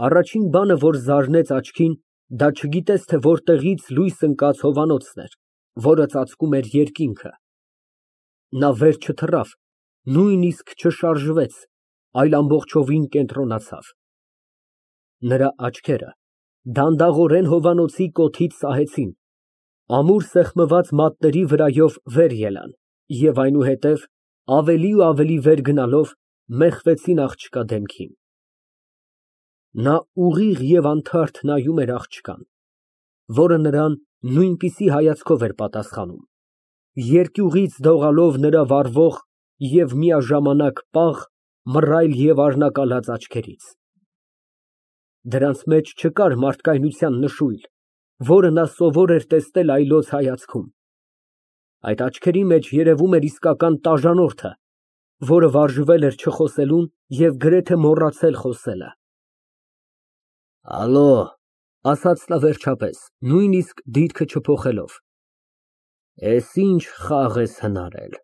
Առաջին բանը, որ զարնեց աչքին, դա չգիտես թե որտեղից լույս ընկած հովանոցն էր, որը ծածկում էր երկինքը։ Նա վեր չթռավ, նույնիսկ չշարժվեց, այլ ամբողջովին կենտրոնացավ։ Նրա աչքերը դանդաղորեն հովանոցի կոթից սահեցին, ամուր սեղմված մատների վրայով վեր ելան և այնուհետև, ավելի ու ավելի վեր գնալով, մեխվեցին աղջկա դեմքին։ Նա ուղիղ և անթարթ նայում էր աղջկան, որը նրան նույնպիսի հայացքով էր պատասխանում, երկյուղից դողալով նրա վառվող և միաժամանակ պաղ, մռայլ և արնակալած աչքերից։ Դրանց մեջ չկար մարդկայնության նշույլ, որը նա սովոր էր տեսնել այլոց հայացքում։ Այդ աչքերի մեջ երևում էր իսկական տաժանորդը, որը վարժվել էր չխոսելուն և գրեթե մոռացել խոսելը։ «Ալո», ասաց նա վերջապես, նույնիսկ դիրքը չփոխելով, «էս ինչ խաղ ես հնարել»։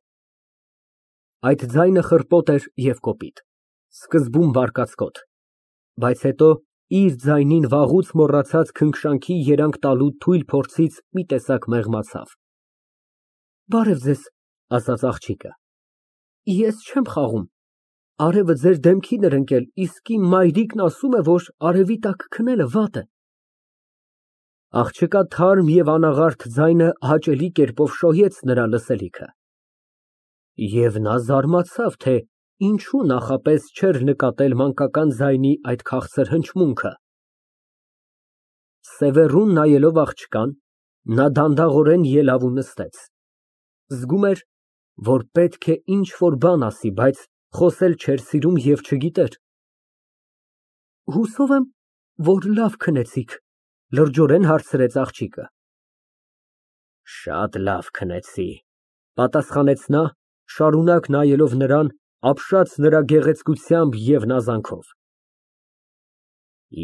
Այդ ձայնը խռպոտ էր և կոպիտ, սկզբում բարկացկոտ, բայց հետո իր ձայնին վաղուց մոռացած քնքշանքի երանգ տալու թույլ փորձից մի տեսակ մեղմացավ։ «Բարև ձեզ», ասաց աղջիկը, «ես չեմ խաղում, արևը ձեր դեմքին էր ընկել, իսկ իմ մայրիկն ասում է, որ արևի տակ քնելը վատ է»։ Աղջկա թարմ և անաղարտ ձայնը հաճելի կերպով շոյեց նրա լսելիքը, և նա զարմացավ, թե ինչու նախապես չէր նկատել մանկական ձայնի այդ քաղցր հնչմունքը։ Սևեռուն նայելով աղջկան, նա դանդաղորեն ելավ ու նստեց, զգում էր, որ պետք է ինչ֊որ բան ասի, բայց խոսել չէր սիրում և չգիտեր։ «Հուսով եմ, որ լավ քնեցիք», լրջորեն հարցրեց աղջիկը։ «Շատ լավ քնեցի», պատասխանեց նա, շարունակ նայելով նրան, ապշած նրա գեղեցկությամբ և նազանքով։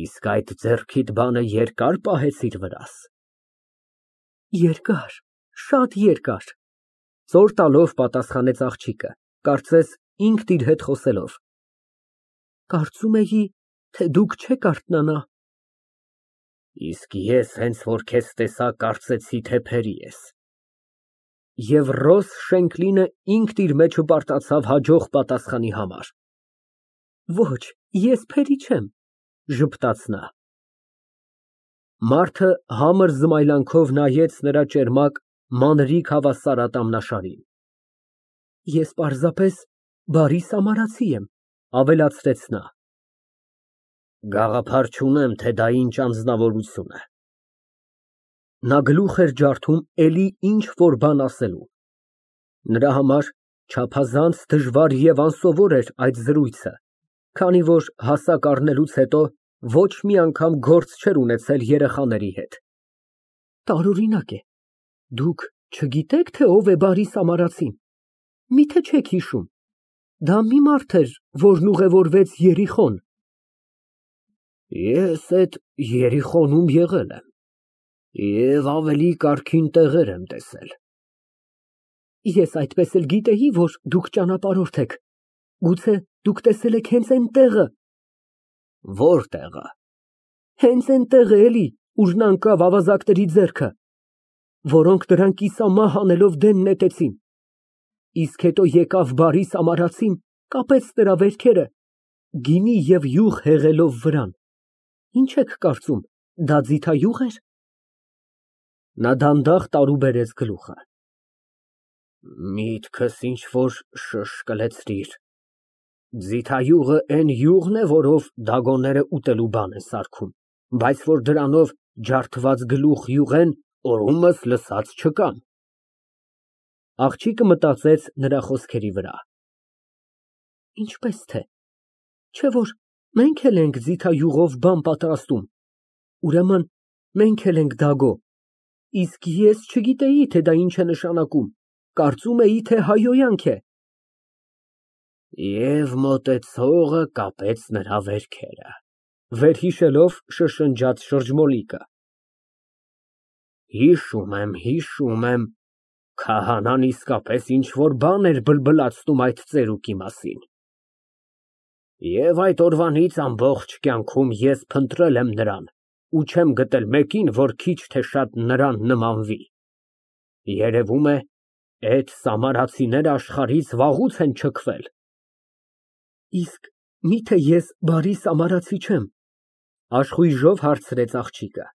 «Իսկ այդ ձեռքիդ բանը երկար պահեցիր վրաս»։ «Երկար, շատ երկար», ծոր տալով պատասխանեց աղջիկը, կարծես ինքն իր հետ խոսելով։ «Կարծում էի, թե դուք չեք արթնանա»։ «Իսկ ես հենց որ քեզ տեսա, կարծեցի, թե փերի ես»։ Եվ Ռոս Շենքլինը ինքն իր մեջը պարտացավ հաջող պատասխանի համար։ «Ոչ, ես փերի չեմ», ժպտաց նա։ Մարդը համր զմայլանքով նայեց նրա ճերմակ, մանրիկ հավասար ատամնաշարին։ «Ես պարզապես բարի սամարացի եմ», ավելացրեց նա։ «Գաղափար չունեմ, թե դա ինչ անձնավորություն է»։ Նա գլուխ էր ջարդում էլի ինչ֊որ բան ասելու։ Նրա համար չափազանց դժվար և անսովոր էր այդ զրույցը, քանի որ հասակ առնելուց հետո ոչ մի անգամ գործ չէր ունեցել երեխաների հետ։ «Տարօրինակ է, դուք չգիտե՞ք, թե ով է բարի սամարացին, մի՞թե չեք հիշում, դա մի մարդ էր, որն ուղևորվեց Երիխոն»։ «Ես էդ Երիխոնում եղել եմ և ավելի կարգին տեղեր եմ տեսել»։ «Ես այդպես էլ գիտեի, որ դուք ճանապարհորդ եք, գուցե դուք տեսել եք հենց այն տեղը»։ «Ո՞ր տեղը»։ «Հենց այն տեղը էլի, ուր նա ընկավ ավազակների ձեռքը, որոնք նրան կիսամահ անելով դեն նետեցին, իսկ հետո եկավ բարի սամարացին, կապեց նրա վերքերը, գինի և յուղ հեղելով վրան, ինչ եք կարծում, դա ձիթայուղ էր»։ Նա դանդաղ տարուբերեց գլուխը։ «Միտքս ինչ֊որ շշկլեցրիր։ Ձիթայուղը էն յուղն է, որով դագոները ուտելու բան են սարքում, բայց որ դրանով ջարդված գլուխ յուղեն, օրումս լսած չկամ»։ Աղջիկը մտածեց նրա խոսքերի վրա։ «Ինչպես թե, չէ՞ որ մենք էլ ենք ձիթայուղով բան պատրաստում, ուրեմն մենք էլ ենք դագո, իսկ ես չգիտեի, թե դա ինչ է նշանակում, կարծում էի, թե հայհոյանք է»։ «Եվ մոտեցողը կապեց նրա վերքերը», վերհիշելով շշնջաց շրջմոլիկը։ Հիշում եմ, քահանան իսկապես ինչ֊որ բան էր բլբլացնում այդ ծերուկի մասին։ Եվ այդ օրվանից ամբողջ կյանքում ես փնտրել եմ նրան ու չեմ գտել մեկին, որ քիչ թե շատ նրան նմանվի։ Երևում է, այդ սամարացիները աշխարհից վաղուց են չքվել։ Իսկ միթե ես բարի սամարացի չեմ, աշխույժով հարցրեց աղջիկը։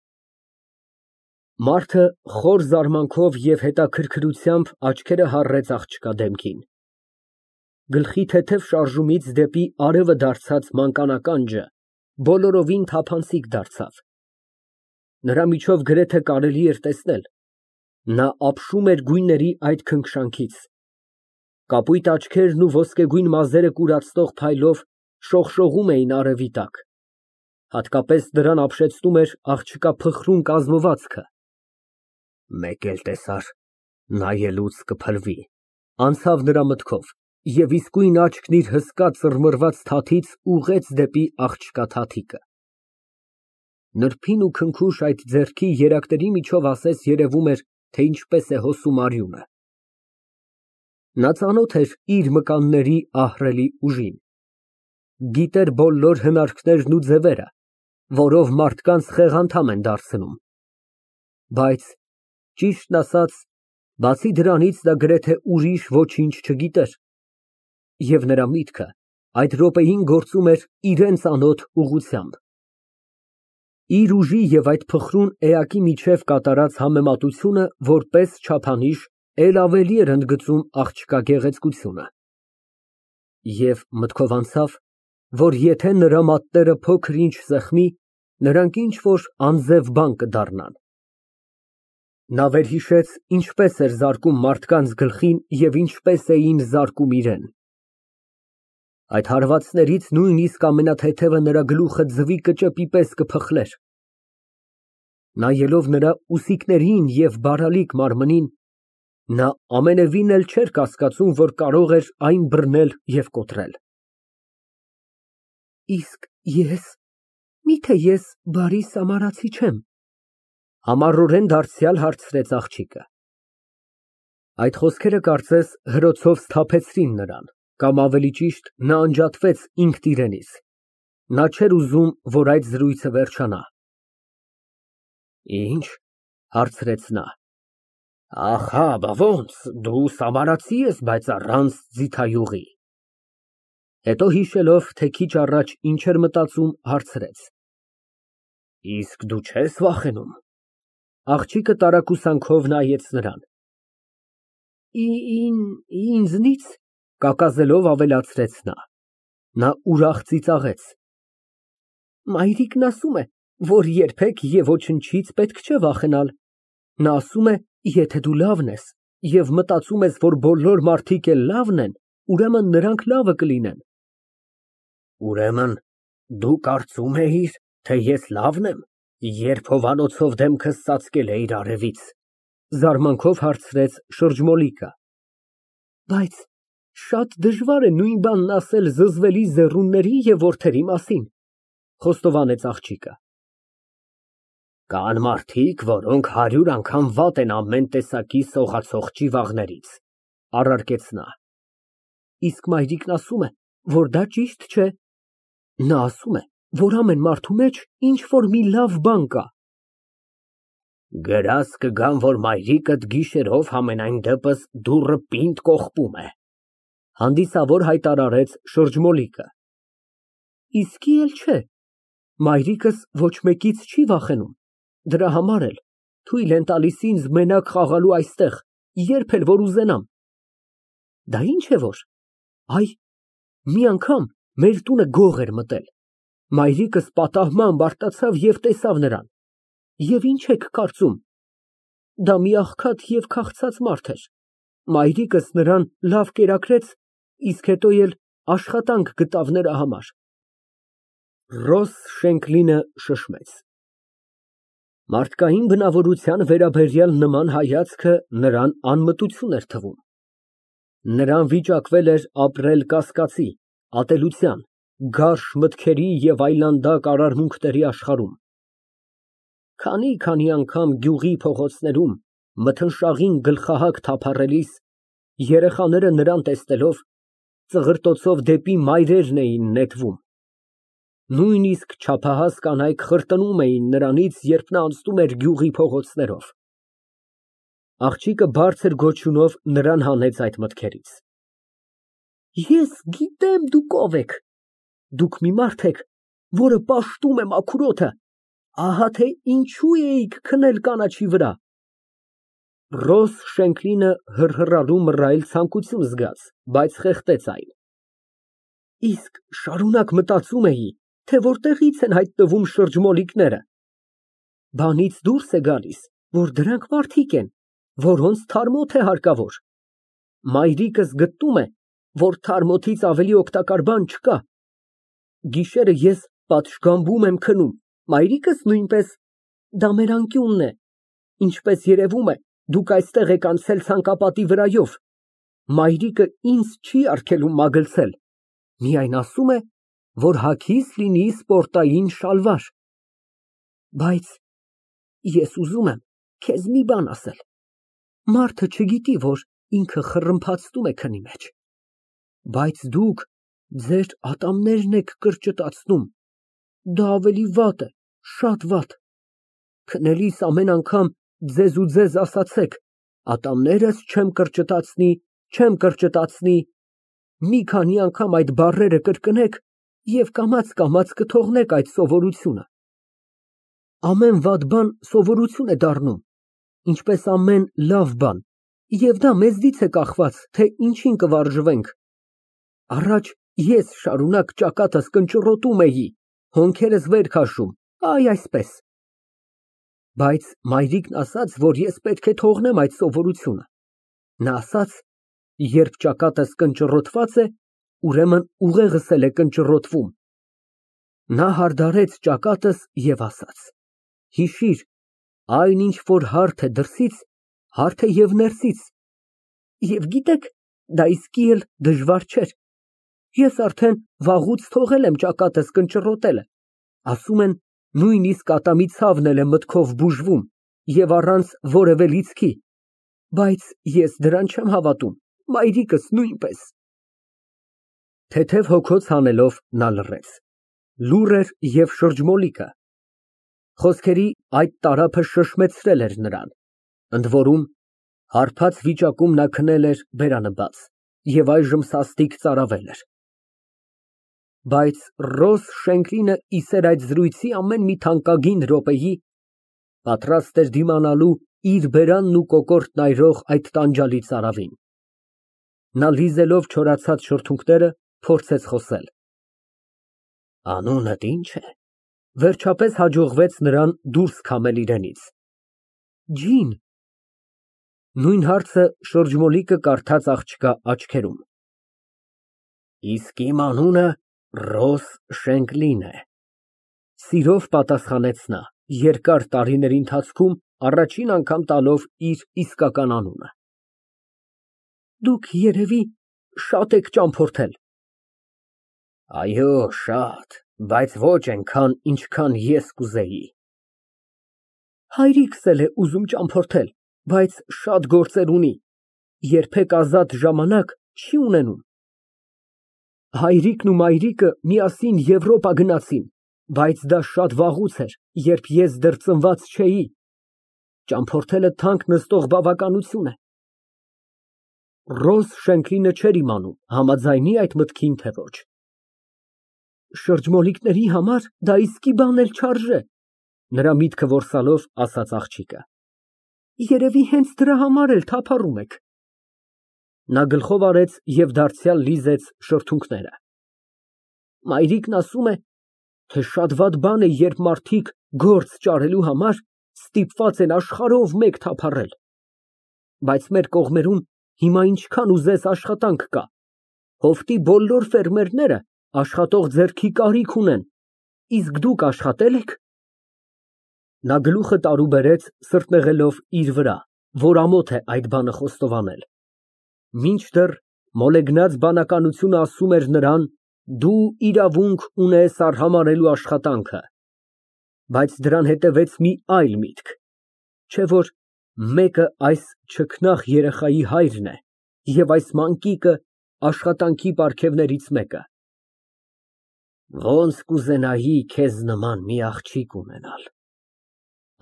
Մարդը խոր զարմանքով և հետաքրքրությամբ աչքերը հառեց աղջկա դեմքին։ Գլխի թեթև շարժումից դեպի արևը դարձած մանկանականջը բոլորովին թափանցիկ դարձավ։ Նրա միջով գրեթե կարելի էր տեսնել, նա ապշում էր գույների այդ քնքշանքից։ Կապույտ աչքերն ու ոսկեգույն մազերը կուրացնող փայլով շողշողում էին արևի տակ։ Հատկապես դրան ապշեցնում էր աղջկա փխրուն կազմվածքը։ Մեկ էլ տեսար, նայելուց կփլվի, անցավ նրա մտքով, և իսկույն աչքն իր հսկա ծռմռված թաթից ուղղեց դեպի աղջկա թաթիկը։ Նրբին ու քնքուշ այդ ձեռքի երակների միջով ասես երևում էր, թե ինչպես է հոսում արյունը։ Նա ծանոթ էր իր մկանների ահռելի ուժին, գիտեր բոլոր հնարքներն ու ձևերը, որով մարդկանց խեղանդամ են դարձնում, բայց, ճիշտն ասած, բացի դրանից նա գրեթե ուրիշ ոչինչ չգիտեր, և նրա միտքը այդ րոպեին գործում էր իրան ծանոթ ուղղությամբ։ Իր ուժի և այդ փխրուն էակի միջև կատարած համեմատությունը որպես չափանիշ էլ ավելի էր ընդգծում աղջկա գեղեցկությունը։ Եվ մտքով անցավ, որ եթե նրա մատները փոքր-ինչ սեղմի, նրանք ինչ֊որ անձև բան կդառնան։ Նա վերհիշեց, ինչպես էր զարկում մարդկանց գլխին և ինչպես էին զարկում իրան։ Այդ հարվածներից նույնիսկ ամենաթեթևը նրա գլուխը ձվի կճեպի պես կփխլեր։ Նայելով նրա ուսիկներին և բարալիկ մարմնին, նա ամենևին էլ չէր կասկածում, որ կարող էր այն բռնել և կոտրել։ Իսկ միթե ես բարի սամարացի չե՞մ, համառորեն դարձյալ հարցրեց աղջիկը։ Այդ խոսքերը կարծես հրոցով սթափեցրին նրան, կամ ավելի ճիշտ, նա անջատվեց ինքն իրենից, նա չէր ուզում, որ այդ զրույցը վերջանա։ Ի՞նչ, հարցրեց նա։ Ահա, բա ոնց, դու սամարացի ես, բայց առանց ձիթայուղի։ Հետո հիշելով, թե քիչ առաջ ինչ էր մտածում, հարցրեց. Իսկ դու չե՞ս վախենում։ Աղջիկը տարակուսանքով նայեց նրան։ Ինձնի՞ց, կակազելով ավելացրեց նա։ Նա ուրախ ծիծաղեց։ Մայրիկն ասում է, որ երբեք և ոչնչից պետք չէ վախենալ։ Նա ասում է, եթե դու լավն ես և մտածում ես, որ բոլոր մարդիկ էլ լավն են, ուրեմն նրանք լավը կլինեն։ Ուրեմն դու կարծում էիր, թե ես լավն եմ, երբ հովանոցով դեմքս ծածկել էիր արևից, զարմանքով հարցրեց շրջմոլիկը։ Բայց շատ դժվար է նույն բանն ասել զզվելի ձեռունների և որդերի մասին, խոստովանեց աղջիկը։ Կան մարդիկ, որոնք 100 անգամ վատ են ամեն տեսակի սողացող ճիվաղներից, առարկեց նա։ Իսկ մայրիկն ասում է, որ դա ճիշտ չէ։ Նա ասում է, որ ամեն մարդու մեջ ինչ֊որ մի լավ բան կա։ Գրազ կգամ, որ մայրիկդ գիշերով համենայն դեպս դուռը պինդ կողպում է, հանդիսավոր հայտարարեց շրջմոլիկը։ Իսկի էլ չէ, մայրիկս ոչ մեկից չի վախենում, դրա համար էլ թույլ են տալիս ինձ մենակ խաղալու այստեղ, երբ էլ որ ուզենամ։ Դա ինչ է որ, այ, մի անգամ մեր տունը գող էր մտել, մայրիկս պատահմամբ արտացավ և տեսավ նրան, և ինչ եք կարծում, դա մի աղքատ և քաղցած մարդ էր, մայրիկս նրան լավ կերակրեց, իսկ հետո էլ աշխատանք գտավ նրա համար։ Ռոս Շենքլինը շշմեց։ Մարդկային բնավորության վերաբերյալ նման հայացքը նրան անմտություն էր թվում։ Նրան վիճակվել էր ապրել կասկածի, ատելության, գարշ մտքերի և այլանդակ արարմունքների աշխարհում։ Քանի անգամ գյուղի փողոցներում մթնշաղին գլխահակ թափառելիս երեխաները նրան տեսնելով ծղրտոցով դեպի մայրերն էին նետվում։ Նույնիսկ չափահաս կանայք խրտնում էին նրանից, երբ նա անցնում էր գյուղի փողոցներով։ Աղջիկը բարձր գոչյունով նրան հանեց այդ մտքերից։ Ես գիտեմ դուք ով եք։ Դուք մի մարդ եք, որը պաշտում է մաքուր օդը, ահա թե ինչու էիք քնել կանաչի վրա։ Ռոզ Շենքլինը հռհռալու մռայլ ցանկություն զգաց, բայց խեղդեց այն։ Իսկ շարունակ մտածում էի, թե որտեղից են հայտնվում շրջմոլիկները։ Բանից դուրս է գալիս, որ դրանք մարդիկ են, որոնց թարմոթ է հարկավոր։ Մայրիկս գտնում է, որ թարմոթից ավելի օգտակար բան չկա։ Գիշերը ես պատշգամբում եմ քնում, մայրիկս նույնպես, դա մեր անկյունն է, ինչպես երևում է, դուք այստեղ եք անցել ցանկապատի վրայով, մայրիկը ինձ չի արգելում մագլցել, միայն ասում է, որ հագիս լինի սպորտային շալվար։ Բայց ես ուզում եմ քեզ մի բան ասել, մարդը չգիտի, որ ինքը խռմփացնում է քնի մեջ, բայց դուք ձեր ատամներն եք կրճտացնում, դա ավելի վատ է, շատ վատ։ Քնելիս ամեն անգամ ձեզ ու ձեզ ասացեք, ատամներս չեմ կրճտացնի, չեմ կրճտացնի, մի քանի անգամ այդ բառերը կրկնեք և կամաց կթողնեք այդ սովորությունը։ Ամեն վատ բան սովորություն է դառնում, ինչպես ամեն լավ բան, և դա մեզնից է կախված, թե ինչին կվարժվենք։ Առաջ ես շարունակ ճակատս կնճռոտում էի, հոնքերս վեր քաշում, այ այսպես։ Բայց մայրիկն ասաց, որ ես պետք է թողնեմ այդ սովորությունը։ Նա ասաց, երբ ճակատս կնճռոտված է, ուրեմն ուղեղս էլ է կնճռոտվում։ Նա հարդարեց ճակատս և ասաց. հիշիր, այն ինչ որ հարթ է դրսից, հարթ է և ներսից։ Եվ գիտեք, դա իսկի էլ դժվար չէր։ Ես արդեն վաղուց թողել եմ ճակատս կնճռոտելը, ասում են, նույնիսկ ատամի ցավն էլ է մտքով բուժվում և առանց որևէ լիցքի, բայց ես դրան չեմ հավատում, մայրիկս նույնպես։ Թեթև հոգոց հանելով նա լռեց, լուռ էր և շրջմոլիկը։ Խոսքերի այդ տարափը շշմեցրել էր նրան, ընդ որում հարբած վիճակում նա քնել էր բերանը բաց և այժմ սաստիկ ծարավել էր։ Բայց Ռոզ Շենքլինը իսեր այդ զրույցի ամեն մի թանկագին րոպեի, պատրաստ էր դիմանալու իր բերանն ու կոկորտն այրող այդ տանջալի ծարավին։ Նա լիզելով չորացած շրթունքները, փորձեց խոսել։ Անունդ ի՞նչ է։ Վերջապես հաջողվեց նրան դուրս քամել իրենից։ Ջին։ Նույն հարցը շրջմոլիկը կարդաց աղջկա աչքերում։ Իսկ իմ անունը Ռոզ Շենքլին է, սիրով պատասխանեց նա, երկար տարիների ընթացքում առաջին անգամ տալով իր իսկական անունը։ Դուք երևի շատ եք ճամփորդել։ Այո, շատ, բայց ոչ այնքան, ինչքան ես կուզեի։ Հայրիկս էլ է ուզում ճամփորդել, բայց շատ գործեր ունի, երբեք ազատ ժամանակ չի ունենում։ Հայրիկն ու մայրիկը միասին Եվրոպա գնացին, բայց դա շատ վաղուց էր, երբ ես դեռ ծնված չէի։ Ճամփորդելը թանկ նստող բավականություն է։ Ռոզ Շենքլինը չէր իմանում, համաձայնի այդ մտքին, թե ոչ։ Շրջմոլիկների համար դա իսկի բան էլ չարժե, նրա միտքը որսալով ասաց աղջիկը։ Երևի հենց դրա համար էլ թափառում եք։ Նա գլխով արեց և դարձյալ լիզեց շրթունքները։ Մայրիկն ասում է, թե շատ վատ բան է, երբ մարդիկ գործ ճարելու համար ստիպված են աշխարհով մեկ թափառել։ Բայց մեր կողմերում հիմա ինչքան ուզես աշխատանք կա։ Հովտի բոլոր ֆերմերները աշխատող ձեռքի կարիք ունեն, իսկ դուք աշխատե՞լ եք։ Նա գլուխը տարուբերեց, սրտնեղելով իր վրա, որ ամոթ է այդ բանը խոստովանել։ Մինչդեռ մոլեգնած բանականությունը ասում էր նրան, դու իրավունք ունես արհամարհելու աշխատանքը։ Բայց դրան հետևեց մի այլ միտք, չէ՞ որ մեկը այս չքնաղ երեխայի հայրն է, և այս մանկիկը աշխատանքի պարգևներից մեկը։ Ոնց կուզենայի քեզ նման մի աղջիկ ունենալ։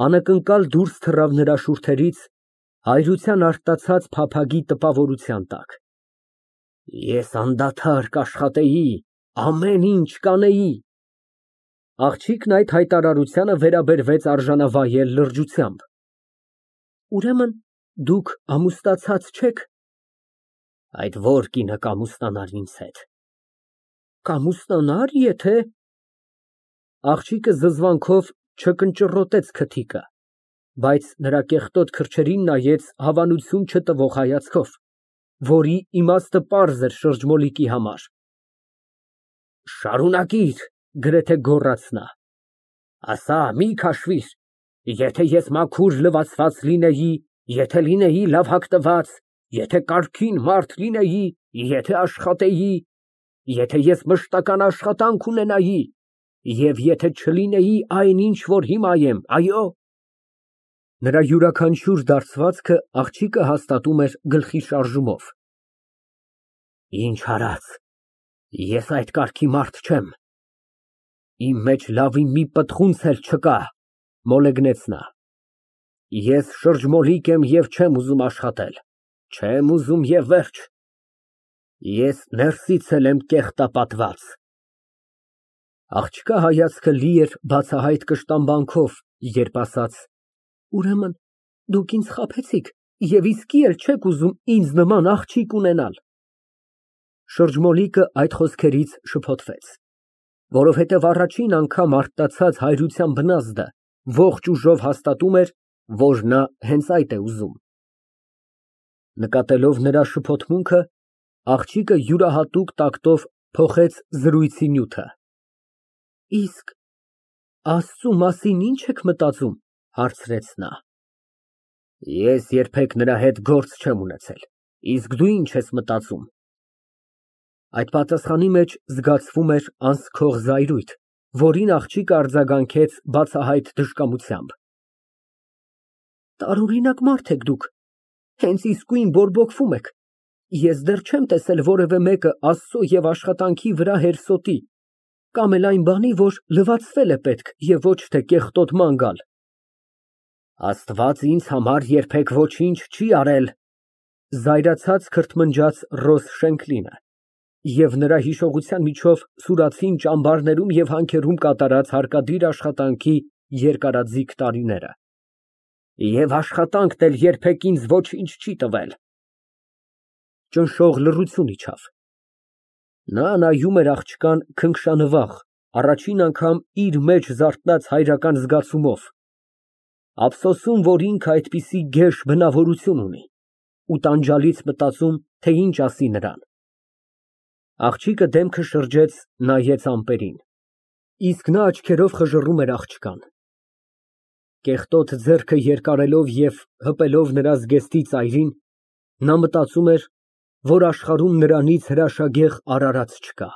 Անակնկալ դուրս թռավ նրա շուրթերից հայրության արտացած փափագի տպավորության տակ։ Ես անդադար կաշխատեի, ամեն ինչ կանեի։ Աղջիկն այդ հայտարարությանը վերաբերվեց արժանավայել լրջությամբ։ Ուրեմն դուք ամուսնացած չեք։ Այդ ո՞ր կինը կամուսնանար ինձ հետ։ Կամուսնանար, եթե… Աղջիկը զզվանքով չկնճռոտեց քթիկը, բայց նրա կեղտոտ քրչերին նայեց հավանություն չտվող հայացքով, որի իմաստը պարզ էր շրջմոլիկի համար։ Շարունակիր, գրեթե գոռաց նա, ասա, մի քաշվիր, եթե ես մաքուր լվացված լինեի, եթե լինեի լավ հագնված, եթե կարգին մարդ լինեի, եթե աշխատեի, եթե ես մշտական աշխատանք ունենայի, և եթե չլինեի այն, ինչ որ հիմա եմ, այո։ Նրա յուրաքանչյուր դարձվածքը աղջիկը հաստատում էր գլխի շարժումով։ Ինչ արած, ես այդ կարգի մարդ չեմ։ Իմ մեջ լավի մի պտղունց էլ չկա, մոլեգնեց նա։ Ես շրջմոլիկ եմ և չեմ ուզում աշխատել, չեմ ուզում և վերջ։ Ես ներսից էլ եմ կեղտապատված։ Աղջկա հայացքը լի էր բացահայտ կշտամբանքով, երբ ասաց. Ուրեմն դուք ինձ խաբեցիք և իսկի էլ չեք ուզում ինձ նման աղջիկ ունենալ։ Շրջմոլիկը այդ խոսքերից շփոթվեց, որովհետև առաջին անգամ արտացած հայրության բնազդը ողջ ուժով հաստատում էր, որ նա հենց այդ է ուզում։ Նկատելով նրա շփոթմունքը, աղջիկը յուրահատուկ տակտով փոխեց զրույցի նյութը։ Իսկ Աստծու մասին ի՞նչ եք մտածում, հարցրեց նա։ Ես երբեք նրա հետ գործ չեմ ունեցել, իսկ դու ի՞նչ ես մտածում։ Այդ պատասխանի մեջ զգացվում էր անսքող զայրույթ, որին աղջիկը արձագանքեց բացահայտ դժկամությամբ։ Տարօրինակ մարդ եք դուք, հենց իսկույն բորբոքվում եք։ Ես դեռ չեմ տեսել որևէ մեկը Աստծո և աշխատանքի վրա հերսոտի, կամ էլ այն բանի, որ լվացվել է պետք և ոչ թե կեղտոտման գալ։ Աստված ինձ համար երբեք ոչինչ չի արել, զայրացած քրթմնջաց Ռոզ Շենքլինը, և նրա հիշողության միջով սուրացին ճամբարներում և հանքերում կատարած հարկադիր աշխատանքի երկարաձիգ տարիները։ Եվ աշխատանքն էլ երբեք ինձ ոչինչ չի տվել։ Ճնշող լռություն իջավ։ Նա նայում էր աղջկան քնքշանվախ, առաջին անգամ իր մեջ զարթնած հայրական զգացումով, ափսոսում, որ ինքը այդպիսի գեշ բնավորություն ունի, ու տանջալից մտածում, թե ինչ ասի նրան։ Աղջիկը դեմքը շրջեց, նայեց ամպերին, իսկ նա աչքերով խժռում էր աղջկան։ Կեղտոտ ձեռքը երկարելով և հպելով նրա զգեստի ծայրին, նա մտածում էր, որ աշխարհում նրանից հրաշագեղ արարած չկա։